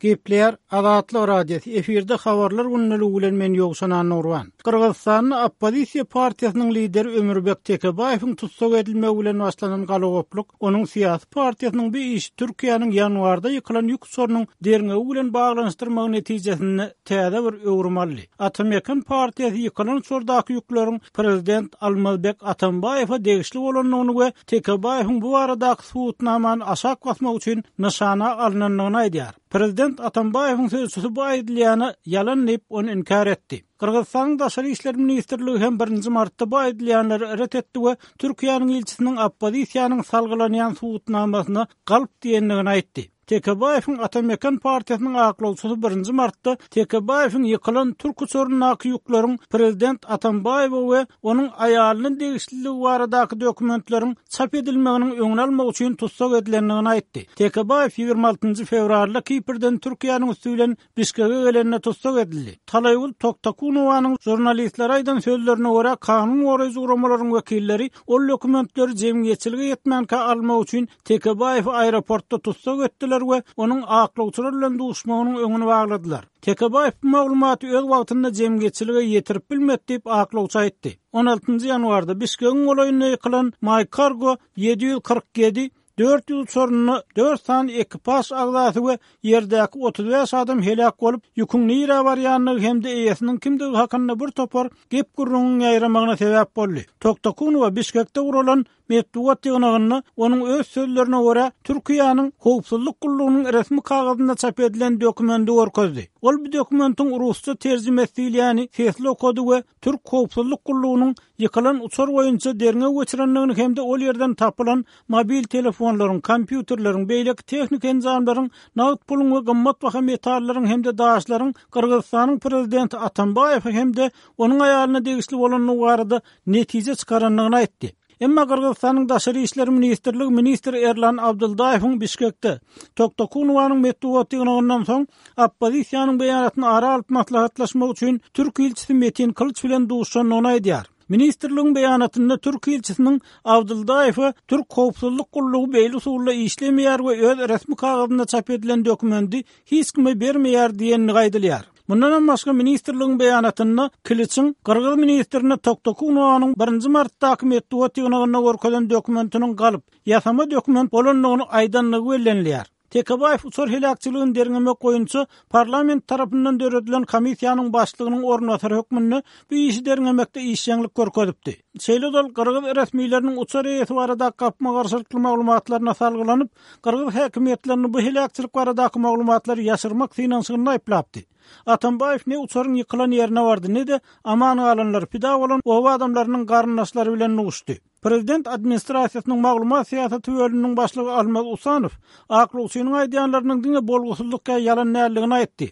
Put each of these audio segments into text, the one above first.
Gepleýär Azatlyk Radiosy, efirde Habarlar gündeligi bilen men Ýowşan Annagurban. Gyrgyzystanda oppozisiýa partiýasynyň lideri Ömürbek Tekebaýewiň tussag edilmegi bilen başlanan galagoplyk onuň syýasy partiýasynyň bu işi Türkiýäniň ýanwarda ýykylan ýük uçarynyň derňewi bilen baglanyşdyrmagy netijesinde täze bir öwrüm aldy. Ata-Mekan partiýasy ýykylan uçardaky ýükleriň prezident Almazbek Atambaýewe degişli bolandygyny we Tekebaýewiň bu baradaky subutnamany aşak basmak üçin nyşana alnandygyny aýdýar. Prezident Atambaýewiň sözçüsi bu aýdylýany ýalan diýip, ony inkär etdi. Gyrgyzystanyň Daşary işler ministrligi hem birinji martda bu aýdylýanlary ret etdi we Türkiýäniň ilçisiniň oppozisiýanyň salgylanýan subutnamasyna galp diýendigini aýtdy. Tekebaýewiň Ata-Mekan partiýasynyň aklawçysy birinji martda Tekebaýewiň ýykylan türk uçaryndaky ýükleriň prezident Atambaýewe we onuň aýalyna degişliligi baradaky dokumentleriň çap edilmeginiň öňüni almak üçin tussag edilendigini aýtdy. Tekebaýew 26 fewralda Kiprden Türkiýäniň üsti bilen Bişkege gelende tussag edildi. Talaýgül Toktakunowanyň žurnalistlere aýdan sözlerine görä, kanun goraýjy guramalaryň wekilleri ol dokumentleri jemgyýetçilige ýetmänkä almak üçin Tekebaýewi aeroportda tussag etdiler we onuň aklawçylar bilen duşmagynyň öňüni bagladylar. Tekebaýew bu maglumaty öz wagtynda jemgyýetçilige ýetirip bilmedi diýip, aklawçy aýtdy. On altynjy ýanwarda Bişkegiň golaýynda ýykylan MyCargo 747 400 uçarynda dört sany ekipaž agzasy we ýerdäki 35 adam heläk bolup, ýüküň nirä barýandygy hem-de eýesiniň kimdigi hakynda bir topar gep-gürrüňiň ýaýramagyna sebäp boldy. Toktakunowa Bişkekde guralan Metbugat ýygnagynda onuň öz sözlerine görä, Türkiýäniň Howpsuzlyk gullugynyň resmi kagyzynda çap edilen dokumendi görkezdi. Ol bu dokumentiň rusça terjimesi diýilýäni sesli okady we türk howpsuzlyk gullugynyň ýykylan uçar boýunça derňew geçirendigini hem-de ol ýerden tapylan mobil telefonlaryň, kompýuterleriň, beýleki tehniki enjamlaryň, nagt puluň we gymmatbaha metallaryň hem-de daşlaryň Gyrgyzystanyň prezidenti Atambaýewe hem-de onuň aýalyna degişli bolandygy barada netije çykarandygyny aýtdy. Emma Gyrgyzystanyň Daşary işler ministrligi ministr Erlan Abdyldaýewiň Bişkekde Toktokunowanyň metbugat ýygnagyndan soň oppozisiýanyň beýanatyny ara alyp maslahatlaşmak üçin türk ilçisi Metin Kylyç bilen duşuşandygyny aýdýar. Ministrligiň beýanatynda türk ilçisiniň Abdyldaýewe türk howpsuzlyk gullugy beýle usulda işlemeýär we öz resmi kagyzynda çap edilen dokumendi hiç kime bermeýär diýendigi aýdylýar. Mundanam başga ministrligiň beýanatynda Kiliçiň gyrgyz ministrine Toktokunowanyň birinji martdaky metbugat ýygnagynda görkezen dokumentiniň galyp, ýasama dokument bolandygyny aýdandygy bellenilýär. Tekebaýew uçar heläkçiligini derňemek boýunça parlament tarapyndan döredilen komissiýanyň başlygynyň orunbasary hökmünde bu işi derňemekde işjeňlik görkezipdi. Şeýle-de ol gyrgyz resmileriniň uçar eýesi baradaky gapma-garşylykly maglumatlaryna salgylanyp, Gyrgyz häkimiýetlerini bu heläkçilik baradaky maglumatlary ýaşyrmak synanyşygynda aýyplapdy. Atambaýew ne uçaryň ýykylan ýerine bardy, ne-de aman galanlar, pida bolan oba adamlarynyň garyndaşlary bilen duşdy. Prezident administrasiýasynyň maglumat syýasaty bölüminiň başlygy Almaz Usanow aklawçynyň aýdýanlarynyň diňe bolgusyzlyk ýa ýalan däldigini aýtdy.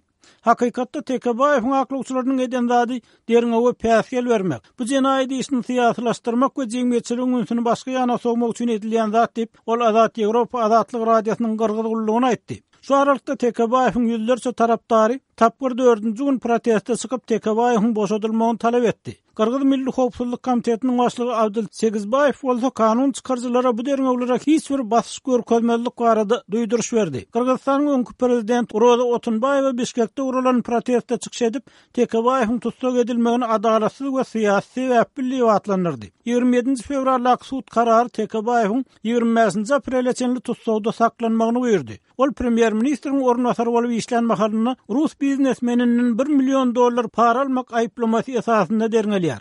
Hakykatda Tekebaýewiň aklawçylarynyň eden zady derňewe päsgel bermek, bu jenaýat işini syýasylaşdyrmak we jemgyýetçiligiň ünsüni başga ýana sowmak üçin edilýän zat diýip, ol Azat Ýewropa Azatlyk Radiosynyň gyrgyz gullugyna aýtdy. Şu aralykda Tekebaýewiň ýüzlerçe tarapdary tapgyr dördünji gün proteste çykyp, Tekebaýewiň boşadylmagyny talap etdi. Gyrgyz Milli howpsuzlyk komitetiniň başlygy Abdyl Segizbaýew bolsa kanun çykaryjylara bu derňewlere hiç bir basyş görkezmezlik barada duýduryş berdi. Gyrgyzystanyň öňki prezidenti Roza Otunbaýewa Bişkekde guralan protestde çykyş edip, Tekebaýewiň tussag edilmegini adalatsyz we syýasy sebäpli diýip atlandyrdy. 27-nji fewraldaky sud karary Tekebaýewiň 25-nji aprele çenli tussagda saklanmagyny buýurdy. Ol premýer-ministriň orunbasary bolup işlän mahalynda rus biznesmeninden bir million dollar para almak aýyplamasy esasynda derňelýär.